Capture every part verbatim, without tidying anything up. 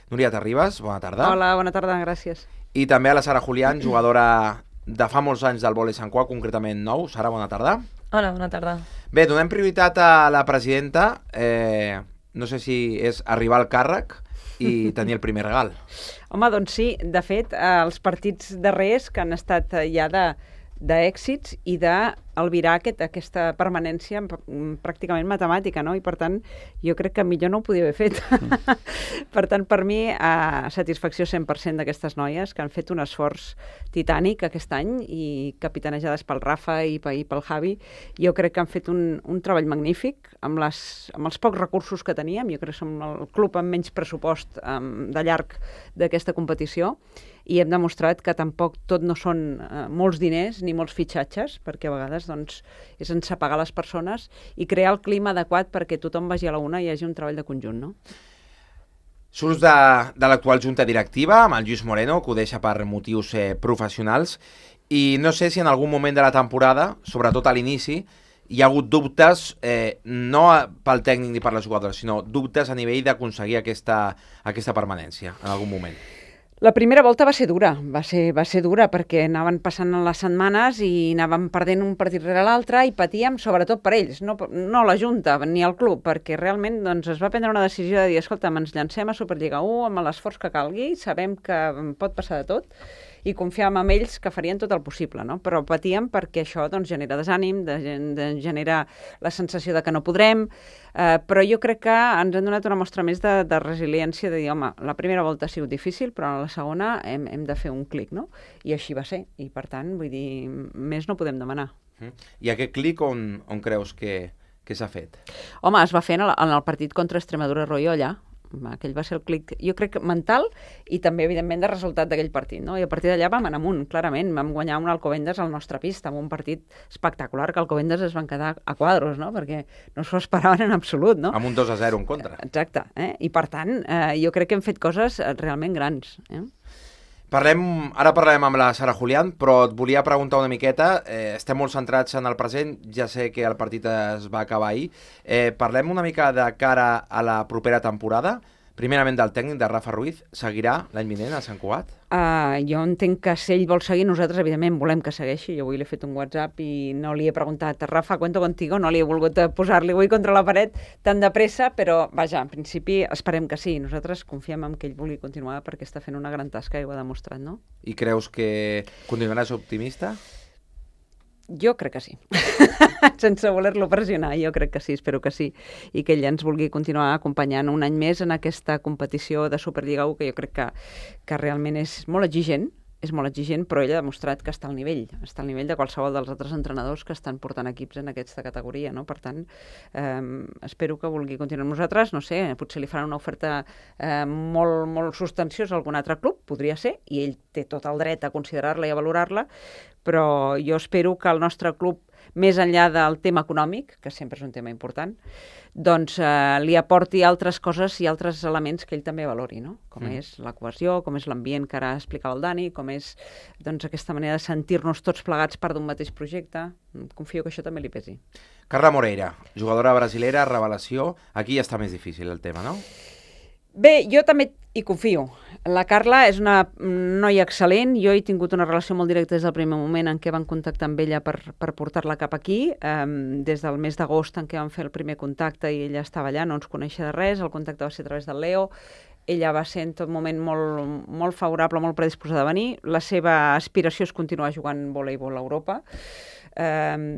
Núria Terribas, bona tarda. Hola, bona tarda, gràcies. I també a la Sara Julián, jugadora de fa molts anys del vòlei Sant Cugat, concretament nou. Sara, bona tarda. Hola, bona tarda. Bé, donem prioritat a la presidenta. Eh, no sé si és arribar al càrrec i tenir el primer regal. Home, doncs sí, de fet, eh, els partits darrers que han estat eh, ja de d'èxits i d'albirar aquest, aquesta permanència pràcticament matemàtica, no? I per tant, jo crec que millor no ho podia haver fet. Mm. Per tant, per mi, eh, satisfacció cent per cent d'aquestes noies que han fet un esforç titànic aquest any i capitanejades pel Rafa i pel Javi. Jo crec que han fet un, un treball magnífic amb, les, amb els pocs recursos que teníem. Jo crec que som el club amb menys pressupost um, de llarg d'aquesta competició i hem demostrat que tampoc tot no són eh, molts diners ni molts fitxatges, perquè a vegades doncs, és ensapagar les persones i crear el clima adequat perquè tothom vagi a la una i hi hagi un treball de conjunt, no? Surts de, de l'actual junta directiva, amb el Lluís Moreno, que ho deixa per motius eh, professionals, i no sé si en algun moment de la temporada, sobretot a l'inici, hi ha hagut dubtes, eh, no pel tècnic ni per les jugadores, sinó dubtes a nivell d'aconseguir aquesta, aquesta permanència en algun moment. La primera volta va ser dura, va ser, va ser dura perquè anaven passant les setmanes i anàvem perdent un partit rere l'altre i patíem sobretot per ells, no, no la Junta ni el club, perquè realment doncs, es va prendre una decisió de dir, escolta, ens llancem a Superliga u amb l'esforç que calgui, sabem que pot passar de tot i confiàvem en ells que farien tot el possible, no? Però patíem perquè això doncs, genera desànim, de, de, genera la sensació de que no podrem, eh, però jo crec que ens han donat una mostra més de, de resiliència, de dir, home, la primera volta ha sigut difícil, però en la segona hem, hem de fer un clic, no? I així va ser, i per tant, vull dir, més no podem demanar. Mm. I aquest clic on, on creus que, que s'ha fet? Home, es va fer en el, en el partit contra Extremadura Royolla, aquell va ser el clic, jo crec, mental i també, evidentment, de resultat d'aquell partit, no? I a partir d'allà vam anar amunt, clarament. Vam guanyar un Alcobendas al nostre pista, amb un partit espectacular, que Alcobendas es van quedar a quadros, no? Perquè no s'ho esperaven en absolut, no? Amb un dos a zero en contra. Exacte, eh? I per tant, eh, jo crec que hem fet coses realment grans, eh? Parlem, ara parlarem amb la Sara Julián, però et volia preguntar una miqueta, eh, estem molt centrats en el present, ja sé que el partit es va acabar ahir, eh, parlem una mica de cara a la propera temporada, primerament del tècnic de Rafa Ruiz, seguirà l'any vinent a Sant Cugat? Uh, jo entenc que si ell vol seguir, nosaltres evidentment volem que segueixi. Jo avui li he fet un WhatsApp i no li he preguntat, Rafa, cuento contigo, no li he volgut posar-li avui contra la paret tan de pressa, però vaja, en principi esperem que sí. Nosaltres confiem en que ell vulgui continuar perquè està fent una gran tasca i ho ha demostrat, no? I creus que continuaràs optimista? Jo crec que sí. Sense voler-lo pressionar, jo crec que sí, espero que sí. I que ell ens vulgui continuar acompanyant un any més en aquesta competició de Superliga u, que jo crec que, que realment és molt exigent, és molt exigent, però ell ha demostrat que està al nivell, està al nivell de qualsevol dels altres entrenadors que estan portant equips en aquesta categoria, no? Per tant, eh, espero que vulgui continuar amb nosaltres, no sé, potser li faran una oferta eh, molt, molt substanciosa a algun altre club, podria ser, i ell té tot el dret a considerar-la i a valorar-la, però jo espero que el nostre club, més enllà del tema econòmic, que sempre és un tema important, doncs eh, li aporti altres coses i altres elements que ell també valori, no? Com mm. és la cohesió, com és l'ambient que ara explicava el Dani, com és doncs, aquesta manera de sentir-nos tots plegats part d'un mateix projecte. Confio que això també li pesi. Carla Moreira, jugadora brasilera, revelació. Aquí ja està més difícil el tema, no? Bé, jo també hi confio. La Carla és una noia excel·lent. Jo he tingut una relació molt directa des del primer moment en què van contactar amb ella per, per portar-la cap aquí. Um, des del mes d'agost en què van fer el primer contacte i ella estava allà, no ens coneixia de res. El contacte va ser a través del Leo. Ella va ser en tot moment molt, molt favorable, molt predisposada a venir. La seva aspiració és continuar jugant voleibol a Europa. Um,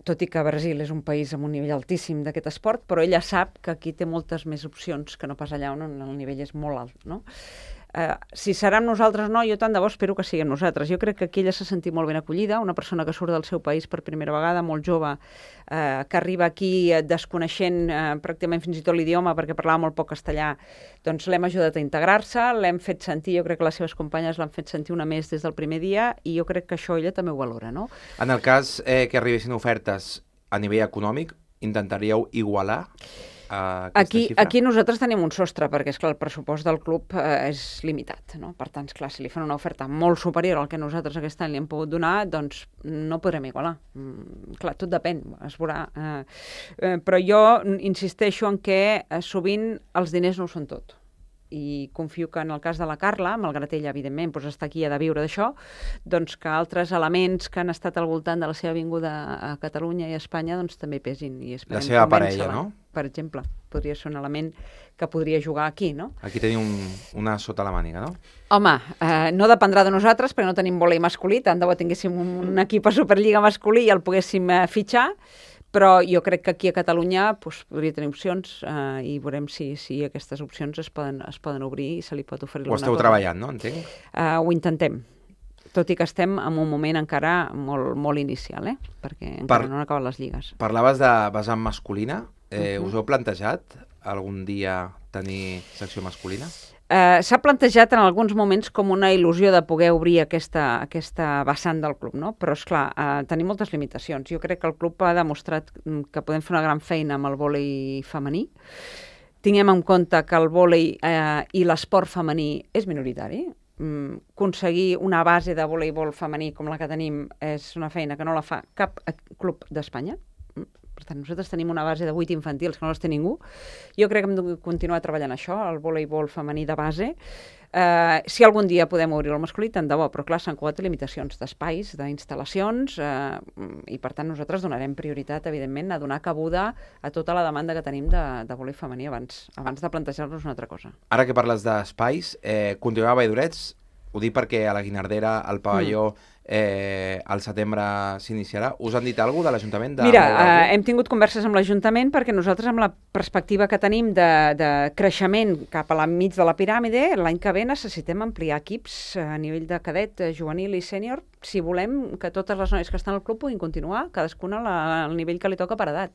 tot i que Brasil és un país amb un nivell altíssim d'aquest esport, però ella sap que aquí té moltes més opcions que no pas allà on el nivell és molt alt, no? Uh, si serà amb nosaltres o no, jo tant de bo espero que sigui amb nosaltres. Jo crec que aquí ella s'ha sentit molt ben acollida, una persona que surt del seu país per primera vegada, molt jove, uh, que arriba aquí desconeixent uh, pràcticament fins i tot l'idioma perquè parlava molt poc castellà, doncs l'hem ajudat a integrar-se, l'hem fet sentir, jo crec que les seves companyes l'han fet sentir una més des del primer dia i jo crec que això ella també ho valora, no? En el cas eh, que arribessin ofertes a nivell econòmic, intentaríeu igualar Aquí, aquí nosaltres tenim un sostre, perquè esclar, el pressupost del club eh, és limitat, no? Per tant, esclar, si li fan una oferta molt superior al que nosaltres aquest any li hem pogut donar, doncs no podrem igualar. Mm, clar, tot depèn, es veurà. Eh, eh, però jo insisteixo en que eh, sovint els diners no ho són tot. i confio que en el cas de la Carla, malgrat ella, evidentment, doncs està aquí, ha de viure d'això, doncs que altres elements que han estat al voltant de la seva vinguda a Catalunya i a Espanya doncs també pesin. I la seva parella, no? Per exemple, podria ser un element que podria jugar aquí, no? Aquí tenim un, una sota la màniga, no? Home, eh, no dependrà de nosaltres perquè no tenim vòlei masculí, tant de bo tinguéssim un, un equip a Superliga masculí i el poguéssim eh, fitxar, però jo crec que aquí a Catalunya pues, podria tenir opcions eh, i veurem si, si aquestes opcions es poden, es poden obrir i se li pot oferir alguna cosa. Ho esteu treballant, no? Entenc? Eh, ho intentem, tot i que estem en un moment encara molt, molt inicial, eh? Perquè encara per... no han acabat les lligues. Parlaves de vessant masculina. Eh, uh -huh. Us heu plantejat algun dia tenir secció masculina? Uh, S'ha plantejat en alguns moments com una il·lusió de poder obrir aquesta, aquesta vessant del club, no? Però, esclar, uh, tenim moltes limitacions. Jo crec que el club ha demostrat que podem fer una gran feina amb el vòlei femení. Tinguem en compte que el vòlei uh, i l'esport femení és minoritari. Mm, aconseguir una base de voleibol femení com la que tenim és una feina que no la fa cap club d'Espanya. Per tant, nosaltres tenim una base de vuit infantils que no les té ningú. Jo crec que hem de continuar treballant això, el voleibol femení de base. Eh, si algun dia podem obrir el masculí, tant de bo, però clar, s'han colat limitacions d'espais, d'instal·lacions, eh, i per tant nosaltres donarem prioritat, evidentment, a donar cabuda a tota la demanda que tenim de, de voleibol femení abans, abans de plantejar-nos una altra cosa. Ara que parles d'espais, eh, continueu a Valldorets, ho dic perquè a la Guinardera, al pavelló, mm. Eh, al setembre s'iniciarà. Us han dit alguna cosa de l'Ajuntament? De Mira, eh, hem tingut converses amb l'Ajuntament perquè nosaltres, amb la perspectiva que tenim de, de creixement cap a la mig de la piràmide, l'any que ve necessitem ampliar equips a nivell de cadet, juvenil i sènior, si volem que totes les noies que estan al club puguin continuar, cadascuna la, al nivell que li toca per edat.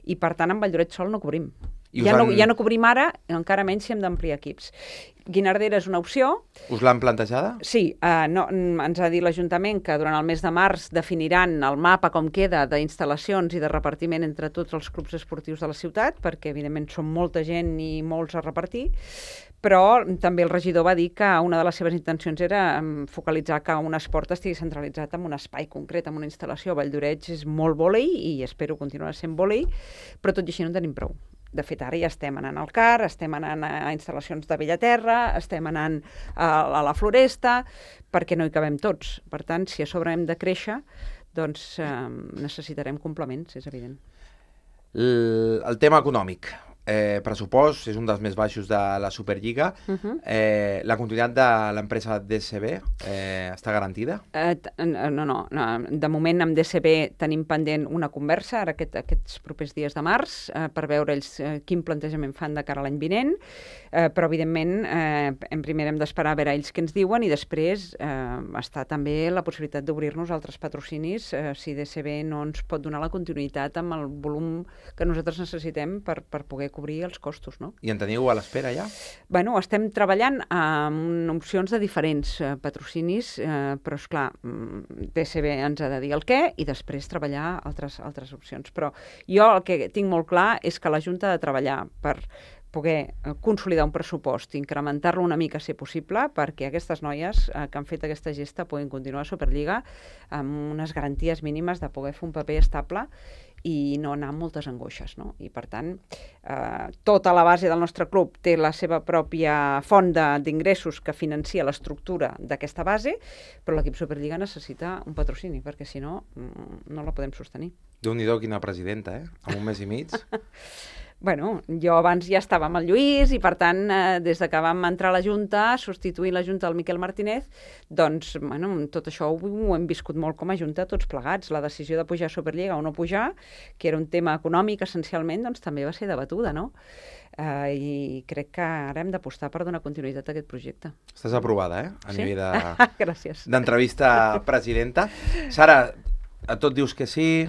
I per tant, amb Valldorets sol no cobrim. Ja, han... no, ja no cobrim ara, encara menys si hem d'ampliar equips. Guinardera és una opció. Us l'han plantejada? Sí, eh, no, ens ha dit l'Ajuntament que durant el mes de març definiran el mapa com queda d'instal·lacions i de repartiment entre tots els clubs esportius de la ciutat, perquè evidentment són molta gent i molts a repartir, però també el regidor va dir que una de les seves intencions era focalitzar que un esport estigui centralitzat en un espai concret, en una instal·lació. Valldorets és molt vòlei i espero continuar sent vòlei, però tot i així no en tenim prou. De fet, ara ja estem anant al C A R, estem anant a instal·lacions de Bellaterra, estem anant a, a la Floresta, perquè no hi cabem tots. Per tant, si a sobre hem de créixer, doncs eh, necessitarem complements, és evident. El, el tema econòmic. Eh, pressupost és un dels més baixos de la Superliga. Uh-huh. eh, la continuïtat de l'empresa D S B eh, està garantida? Eh, no, no, no. De moment amb D S B tenim pendent una conversa ara aquest, aquests propers dies de març eh, per veure ells eh, quin plantejament fan de cara a l'any vinent, eh, però evidentment eh, en primer hem d'esperar a veure ells què ens diuen i després eh, està també la possibilitat d'obrir-nos altres patrocinis eh, si D S B no ens pot donar la continuïtat amb el volum que nosaltres necessitem per, per poder cobrir els costos, no? I en teniu a l'espera ja? Bueno, estem treballant amb opcions de diferents eh, patrocinis, eh, però esclar, D S B ens ha de dir el què i després treballar altres, altres opcions. Però jo el que tinc molt clar és que la Junta ha de treballar per poder consolidar un pressupost, incrementar-lo una mica si possible, perquè aquestes noies eh, que han fet aquesta gesta puguin continuar a Superliga amb unes garanties mínimes de poder fer un paper estable i no anar amb moltes angoixes, no? I per tant, eh, tota la base del nostre club té la seva pròpia font d'ingressos que financia l'estructura d'aquesta base, però l'equip Superliga necessita un patrocini, perquè si no, no la podem sostenir. Déu-n'hi-do, quina presidenta, eh? En un mes i mig. Bueno, jo abans ja estava amb el Lluís i, per tant, eh, des de que vam entrar a la Junta, substituint la Junta del Miquel Martínez, doncs, bueno, tot això ho, ho hem viscut molt com a Junta, tots plegats. La decisió de pujar a Superliga o no pujar, que era un tema econòmic essencialment, doncs també va ser debatuda, no? Eh, I crec que ara hem d'apostar per donar continuïtat a aquest projecte. Estàs aprovada, eh? A sí? nivell de... Gràcies. D'entrevista presidenta. Sara, a tot dius que sí...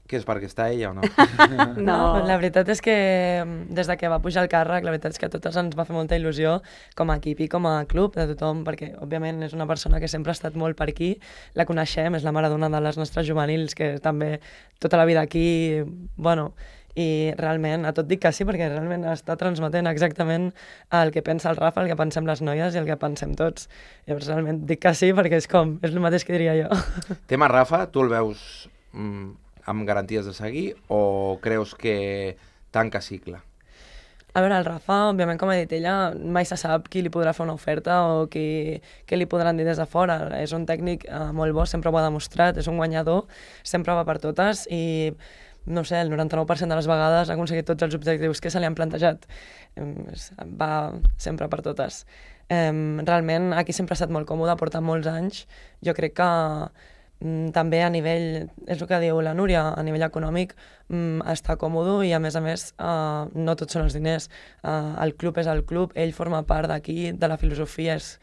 Que és perquè està ella o no? No, la veritat és que des de que va pujar el càrrec, la veritat és que a totes ens va fer molta il·lusió com a equip i com a club de tothom, perquè òbviament és una persona que sempre ha estat molt per aquí, la coneixem, és la maradona de les nostres juvenils, que també tota la vida aquí, bueno, i realment a tot dic que sí, perquè realment està transmetent exactament el que pensa el Rafa, el que pensem les noies i el que pensem tots. Llavors realment dic que sí perquè és com, és el mateix que diria jo. Tema Rafa, tu el veus... Mm, amb garanties de seguir o creus que tanca cicle? A veure, el Rafa, òbviament, com ha dit ella, mai se sap qui li podrà fer una oferta o qui, qui li podran dir des de fora. És un tècnic eh, molt bo, sempre ho ha demostrat, és un guanyador, sempre va per totes i, no sé, el noranta-nou per cent de les vegades ha aconseguit tots els objectius que se li han plantejat. Va sempre per totes. Realment, aquí sempre ha estat molt còmode, porta molts anys. Jo crec que també a nivell, és el que diu la Núria, a nivell econòmic està còmode i a més a més no tots són els diners. El club és el club, ell forma part d'aquí, de la filosofia, és,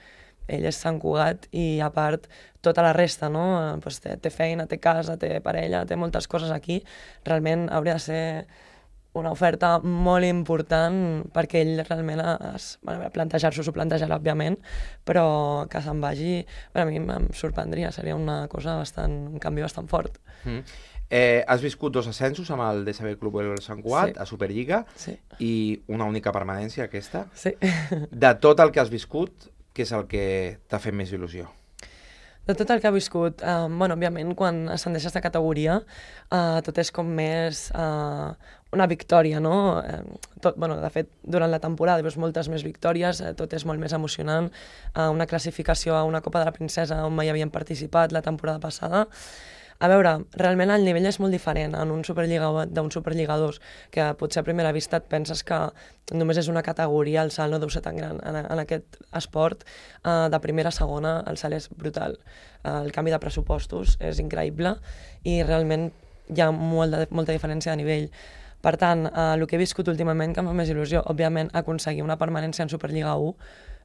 ell és Sant Cugat i a part tota la resta, no? Pues té, té feina, té casa, té parella, té moltes coses aquí. Realment hauria de ser una oferta molt important perquè ell realment es, bueno, plantejar-s'ho, s'ho plantejarà, òbviament, però que se'n vagi, bueno, a mi em sorprendria, seria una cosa bastant, un canvi bastant fort. Mm. Eh, has viscut dos ascensos amb el D S B Club del Sant Cugat, sí. a Superliga, sí. i una única permanència, aquesta. Sí. De tot el que has viscut, què és el que t'ha fet més il·lusió? De tot el que ha viscut, eh, bueno, òbviament, quan ascendeixes de categoria, eh, tot és com més eh, una victòria, no? Eh, tot, bueno, de fet, durant la temporada veus moltes més victòries, eh, tot és molt més emocionant. Eh, una classificació a una Copa de la Princesa on mai havien participat la temporada passada. A veure, realment el nivell és molt diferent en un Superliga d'un Superliga dos, que potser a primera vista et penses que només és una categoria, el salt no deu ser tan gran. En, en aquest esport, eh, de primera a segona, el salt és brutal. Eh, el canvi de pressupostos és increïble i realment hi ha molt de, molta diferència de nivell. Per tant, eh, el que he viscut últimament que em fa més il·lusió, òbviament, aconseguir una permanència en Superliga u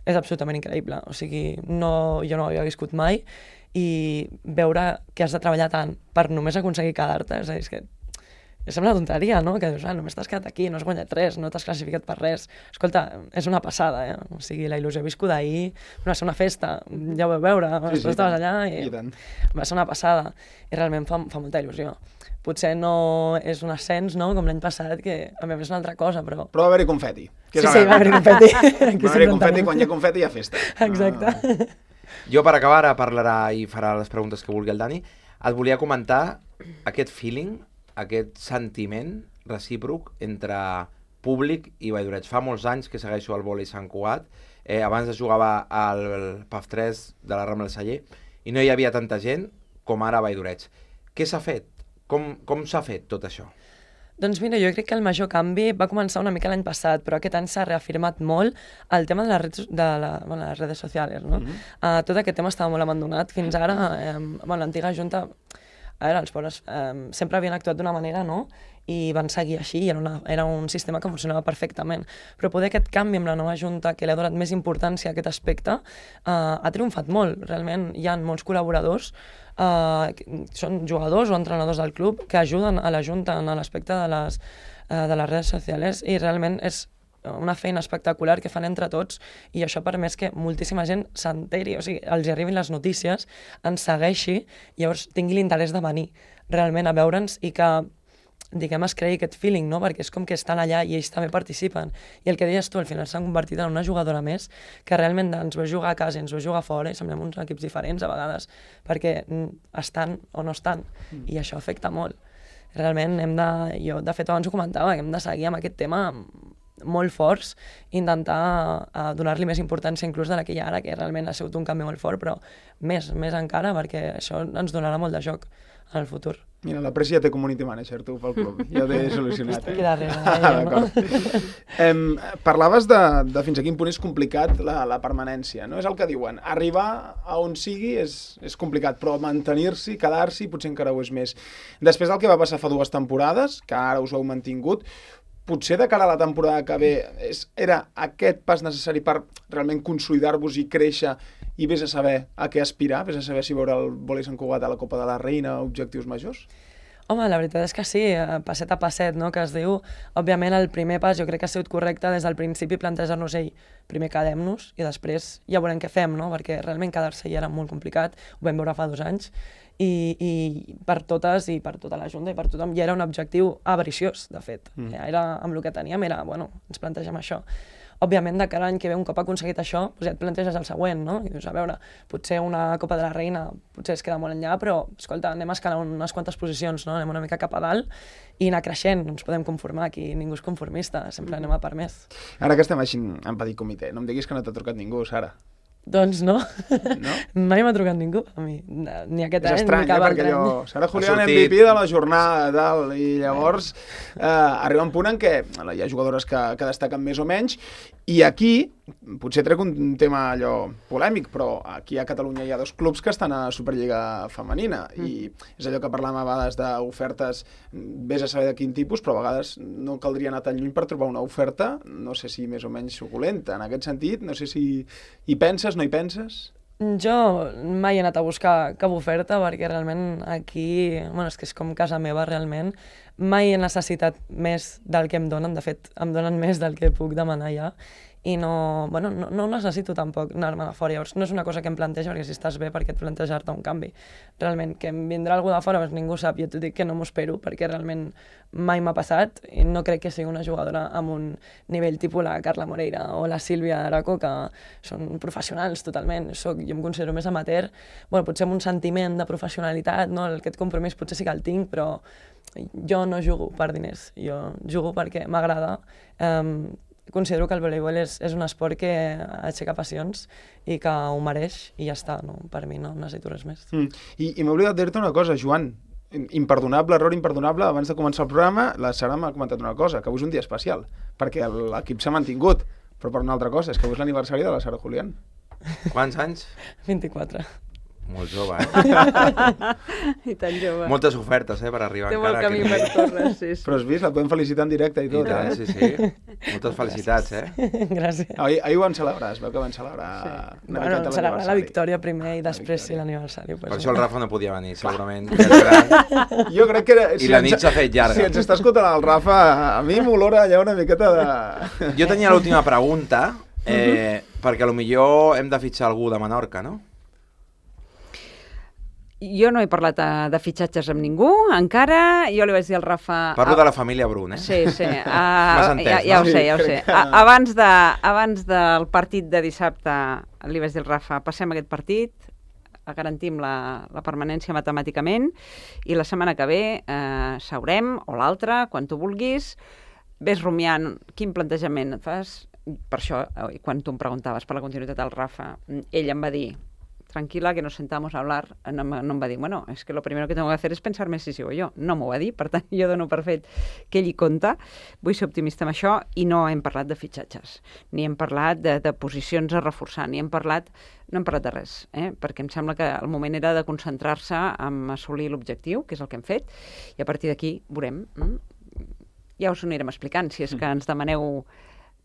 és absolutament increïble. O sigui, no, jo no ho havia viscut mai i veure que has de treballar tant per només aconseguir quedar-te, és a dir, és que sembla una tonteria, no? Que dius, ah, només t'has quedat aquí, no has guanyat res, no t'has classificat per res. Escolta, és una passada, eh? O sigui, la il·lusió viscuda ahir va ser una festa, ja ho vau veure, sí, després sí, estaves allà i, i va ser una passada. I realment fa, fa molta il·lusió. Potser no és un ascens, no?, com l'any passat, que a mi és una altra cosa, però... Però va haver-hi confeti. Sí, sí, va haver-hi confeti. Va haver-hi confeti, quan hi ha confeti hi ha festa. Exacte. Uh... Jo, per acabar, ara parlarà i farà les preguntes que vulgui el Dani, et volia comentar aquest feeling, aquest sentiment recíproc entre públic i Valldoreig. Fa molts anys que segueixo el vòlei Sant Cugat, eh, abans es jugava al P A F tres de la Rambla del Celler i no hi havia tanta gent com ara a Valldoreig. Què s'ha fet? Com, com s'ha fet tot això? Doncs mira, jo crec que el major canvi va començar una mica l'any passat, però aquest any s'ha reafirmat molt el tema de les redes, de la, bueno, les redes socials, no? Mm-hmm. uh, tot aquest tema estava molt abandonat. Fins ara, eh, bueno, l'antiga Junta, a veure, els pobres eh, sempre havien actuat d'una manera, no?, i van seguir així, i era, una, era un sistema que funcionava perfectament. Però poder aquest canvi amb la nova Junta, que li ha donat més importància a aquest aspecte, eh, ha triomfat molt. Realment hi ha molts col·laboradors, eh, són jugadors o entrenadors del club, que ajuden a la Junta en l'aspecte de, les, eh, de les redes socials, i realment és una feina espectacular que fan entre tots, i això ha permès que moltíssima gent s'enteri, o sigui, els arribin les notícies, ens segueixi, i llavors tingui l'interès de venir realment a veure'ns i que, diguem, es creï aquest feeling, no? Perquè és com que estan allà i ells també participen. I el que deies tu, al final s'han convertit en una jugadora més que realment ens veus jugar a casa i ens veus jugar fora i semblem uns equips diferents a vegades, perquè estan o no estan, mm. i això afecta molt. Realment hem de, jo de fet abans ho comentava, que hem de seguir amb aquest tema molt forts, intentar uh, donar-li més importància inclús de la que hi ha ara, que realment ha sigut un canvi molt fort, però més, més encara, perquè això ens donarà molt de joc en el futur. Mira, la Presi ja té community manager, tu, pel club. Ja t'he solucionat. Estic aquí darrere, eh, no? em, parlaves de, de fins a quin punt és complicat la, la permanència, no? És el que diuen. Arribar a on sigui és, és complicat, però mantenir-s'hi, quedar-s'hi, potser encara ho és més. Després del que va passar fa dues temporades, que ara us ho heu mantingut, potser de cara a la temporada que ve és, era aquest pas necessari per realment consolidar-vos i créixer i vés a saber a què aspirar, vés a saber si veure el vòlei Sant Cugat a la Copa de la Reina, objectius majors? Home, la veritat és que sí, passet a passet, no?, que es diu. Òbviament el primer pas jo crec que ha sigut correcte des del principi plantejar-nos, ei, primer quedem-nos i després ja veurem què fem, no?, perquè realment quedar-se ja era molt complicat, ho vam veure fa dos anys, i, i per totes i per tota la Junta i per tothom ja era un objectiu avariciós, de fet. Mm. Era, amb el que teníem era, bueno, ens plantegem això. òbviament, de cara a l'any que ve, un cop aconseguit això, doncs ja et planteges el següent, no? I dius, a veure, potser una Copa de la Reina potser es queda molt enllà, però, escolta, anem a escalar unes quantes posicions, no? Anem una mica cap a dalt i anar creixent, no ens podem conformar, aquí ningú és conformista, sempre anem a per més. Ara que estem així en petit comitè, no em diguis que no t'ha trucat ningú, Sara. Doncs no, no? Mai m'ha trucat ningú, a mi, ni aquest és any, estrany, ni cap eh? altre Perquè any. allò, Sara Julián, sortit... M V P de la jornada, tal, i llavors eh, arriba un punt en què hi ha jugadores que, que destaquen més o menys, i aquí, potser trec un tema allò polèmic, però aquí a Catalunya hi ha dos clubs que estan a Superliga femenina, mm. i és allò que parlàvem a vegades d'ofertes, vés a saber de quin tipus, però a vegades no caldria anar tan lluny per trobar una oferta, no sé si més o menys suculenta, en aquest sentit, no sé si hi penses, no hi penses? Jo mai he anat a buscar cap oferta perquè realment aquí, bueno, és que és com casa meva realment, mai he necessitat més del que em donen, de fet em donen més del que puc demanar ja, i no, bueno, no, no necessito tampoc anar-me de fora, llavors no és una cosa que em planteja perquè si estàs bé perquè et plantejar-te un canvi. Realment, que em vindrà algú de fora, doncs ningú sap, jo t'ho dic que no m'ho espero perquè realment mai m'ha passat i no crec que sigui una jugadora amb un nivell tipus la Carla Moreira o la Sílvia Araco, que són professionals totalment. Soc, jo em considero més amateur, bueno, potser amb un sentiment de professionalitat, no? Aquest compromís potser sí que el tinc, però jo no jugo per diners, jo jugo perquè m'agrada. Um, considero que el voleibol és, és un esport que aixeca passions i que ho mereix i ja està, no? Per mi no necessito res més. Mm. I, i m'he oblidat de dir-te una cosa, Joan, imperdonable, error imperdonable, abans de començar el programa la Sara m'ha comentat una cosa, que avui és un dia especial, perquè l'equip s'ha mantingut, però per una altra cosa, és que avui és l'aniversari de la Sara Julián. Quants anys? vint-i-quatre. Molt jove, eh? I tan jove. Moltes ofertes, eh, per arribar Té encara molt camí per córrer, sí, sí. Però has vist, la podem felicitar en directe i I tot, tant, eh? sí, sí. Moltes felicitats, eh? Gràcies. Ahir, ahir ho van celebrar, es veu que van celebrar Sí. una Bueno, miqueta celebrar la l'aniversari. victòria primer i després sí victòria. l'aniversari. Per Pues, això el Rafa no podia venir, segurament. que és gran. Jo crec que... Era, I la nit s'ha fet llarga. Si ens està escoltant el Rafa, a mi m'olora allà una miqueta de... Jo tenia l'última pregunta, eh, perquè potser hem de fitxar algú de Menorca, no? Jo no he parlat de, de fitxatges amb ningú, encara. Jo li vaig dir al Rafa... Parlo de la família Brun, eh? Sí, sí. Uh, M'has entès, ja, ja no? ho sé, ja ho Sí, sé. crec que- A, abans, de, abans del partit de dissabte li vaig dir al Rafa, passem aquest partit, garantim la, la permanència matemàticament i la setmana que ve eh, seurem, o l'altra, quan tu vulguis, ves rumiant quin plantejament et fas. Per això, eh, quan tu em preguntaves per la continuïtat del Rafa, ell em va dir, tranquila, que nos sentamos a hablar, no, no em va dir, bueno, es que lo primero que tengo que hacer es pensarme si sigo jo. No m'ho va dir, per tant, jo dono per fet que ell hi compta. Vull ser optimista amb això i no hem parlat de fitxatges, ni hem parlat de, de posicions a reforçar, ni hem parlat, no hem parlat de res, eh? Perquè em sembla que el moment era de concentrar-se en assolir l'objectiu, que és el que hem fet, i a partir d'aquí veurem. Mm? Ja us ho anirem explicant, si és que ens demaneu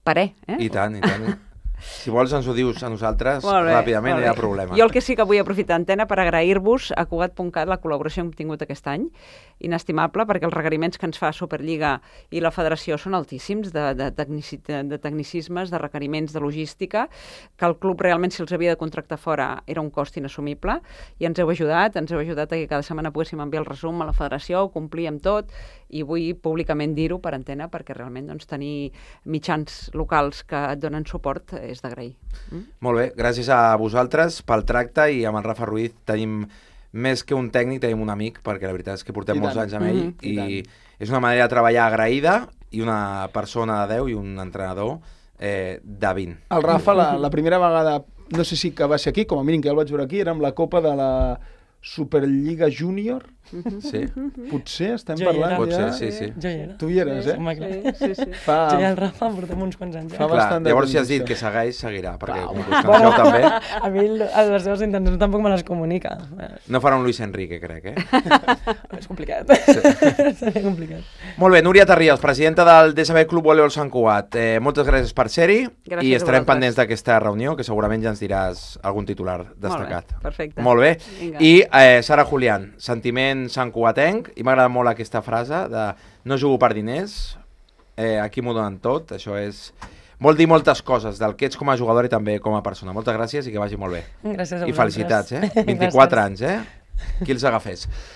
parer. Eh? I tant, i tant. Si vols ens ho dius a nosaltres Molt bé, ràpidament, molt no hi ha bé. problema. Jo el que sí que vull aprofitar antena per agrair-vos a Cugat punt cat la col·laboració que hem tingut aquest any, inestimable, perquè els requeriments que ens fa Superliga i la Federació són altíssims, de, de, tecnici, de tecnicismes, de requeriments de logística, que el club realment, si els havia de contractar fora, era un cost inassumible, i ens heu ajudat, ens heu ajudat a que cada setmana poguéssim enviar el resum a la Federació, complir amb tot, i vull públicament dir-ho per antena, perquè realment doncs, tenir mitjans locals que et donen suport és d'agrair. Mm? Molt bé, gràcies a vosaltres pel tracte, i amb el Rafa Ruiz tenim més que un tècnic, tenim un amic, perquè la veritat és que portem I molts tant. anys amb ell, Mhm. i, I és una manera de treballar agraïda, i una persona de deu i un entrenador eh, de vint. El Rafa, la, la primera vegada, no sé si que va ser aquí, com a mínim que ja el vaig veure aquí, era amb la Copa de la Superliga Júnior. Sí, Potser estem Jo hi parlant era. pot ja... ser, sí, sí. Jo hi era. Tu hi eres, eh? Home, clar. Sí, sí, sí. Fa... Jo i el Rafa portem uns quants anys. Fa Ja. Clar, bastant de llavors si has temps, dit això. que segueix, seguirà, perquè Clar, com home. que us coneixeu també, A mi el- les seves intencions tampoc me les comunica. no farà un Luis Enrique, crec, eh? És complicat. Seria complicat. Molt bé, Núria Tarriels, presidenta del D S B Club Voleibol Sant Cugat. Eh, moltes gràcies per ser-hi, Gràcies i a estarem vosaltres. pendents d'aquesta reunió, que segurament ja ens diràs algun titular destacat. Molt bé, perfecte. Molt bé. Vinga. I eh, Sara Julián, sentiment santcugatenc, i m'ha agradat molt aquesta frase de no jugo per diners, eh, aquí m'ho donen tot, això és... Vol dir moltes coses del que ets com a jugador i també com a persona. Moltes gràcies i que vagi molt bé. Gràcies a I vosaltres. felicitats, eh? vint-i-quatre Gràcies. anys, eh? Qui els agafés.